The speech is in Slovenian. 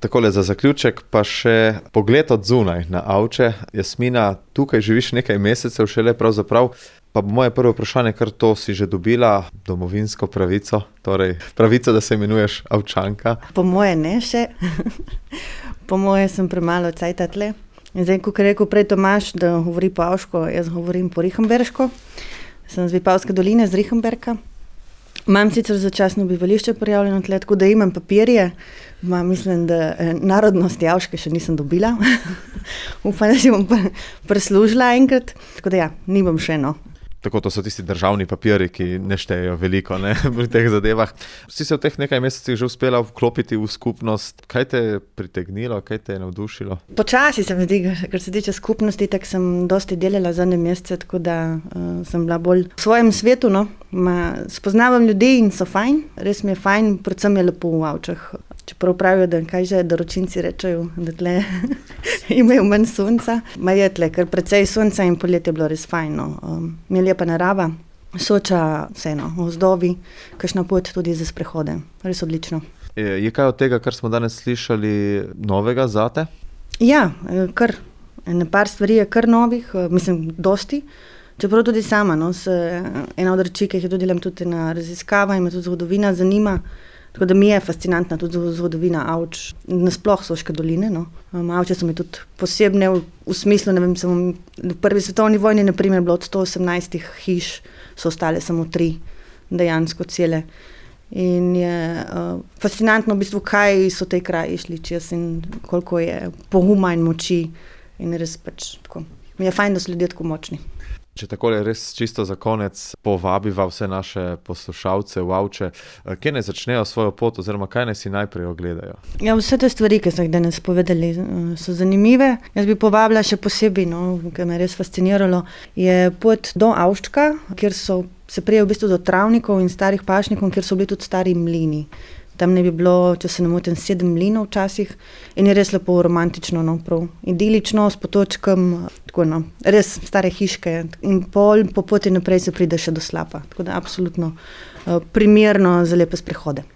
Takole za zaključek pa še pogled od zunaj na Avče. Jasmina, tukaj živiš nekaj mesecev šele pravzaprav, pa moje prvo vprašanje, kar to si že dobila, domovinsko pravico, torej pravico, da se imenuješ Avčanka. Po moje ne še, po moje sem premalo cajta tle. In zdaj, kot je rekel prej Tomaž, da govori po avško, jaz govorim po rihemberško. Sem z Vipavske doline, z Rihemberka. Imam sicer začasno bivališče prijavljeno tle, tako da imam papirje. Mislim, da narodnosti avške še nisem dobila. Upam, da si bom preslužila enkrat. Tako da ja, nimam še Tako, to so tisti državni papiri, ki ne štejejo veliko, ne, pri teh zadevah. Si se v teh nekaj mesecih že uspela vklopiti v skupnost. Kaj te je pritegnilo, kaj te je navdušilo? Počasi se mi zdi, kar se tiče skupnosti, tako sem dosti delala zadnje mesece, tako da sem bila bolj v svojem svetu, spoznavam ljudi in so fajn, res mi je fajn, predvsem je lepo v Avčah. Čeprav pravijo, da kaj že doročinci rečejo, da tle imajo manj sonca. Ma je tle, ker precej sonca in poletje je bilo res fajn. Mi je lepa narava, Soča, vseeno, gozdovi, kakšna pot tudi za sprehode. Res odlično. Je kaj od tega, kar smo danes slišali, novega zate? Ja, kar. Par stvari je kar novih, mislim, dosti. Čeprav tudi sama, ena od reči, ki jih delam tudi na raziskava in me tudi zgodovina zanima. Tako da mi je fascinantna tudi zgodovina Avč, nasploh Soške doline. Avče so mi tudi posebne v smislu, ne vem, v prvi svetovni vojni, na primer, bilo od 118 hiš, so ostale samo 3, dejansko cele. In je fascinantno v bistvu, kaj so te kraji šli čez in koliko je poguma in moči. In res tako. Mi je fajn, da so ljudje tako močni. Če takole res čisto za konec povabiva vse naše poslušalce v Avče, kje naj začnejo svojo pot oziroma kaj naj si najprej ogledajo? Ja, vse te stvari, ki so jih danes povedali, so zanimive. Jaz bi povabila še posebej, kar me je res fasciniralo, je pot do Avščka, kjer se prije v bistvu do travnikov in starih pašnikov, kjer so bili tudi stari mlini. Tam ne bi bilo, če se ne motim, 7 mlinov včasih in je res lepo romantično, prav idilično, s potočkom, tako res stare hiške in po poti naprej se pride še do Slapa. Tako da absolutno primerno za lepe sprehode.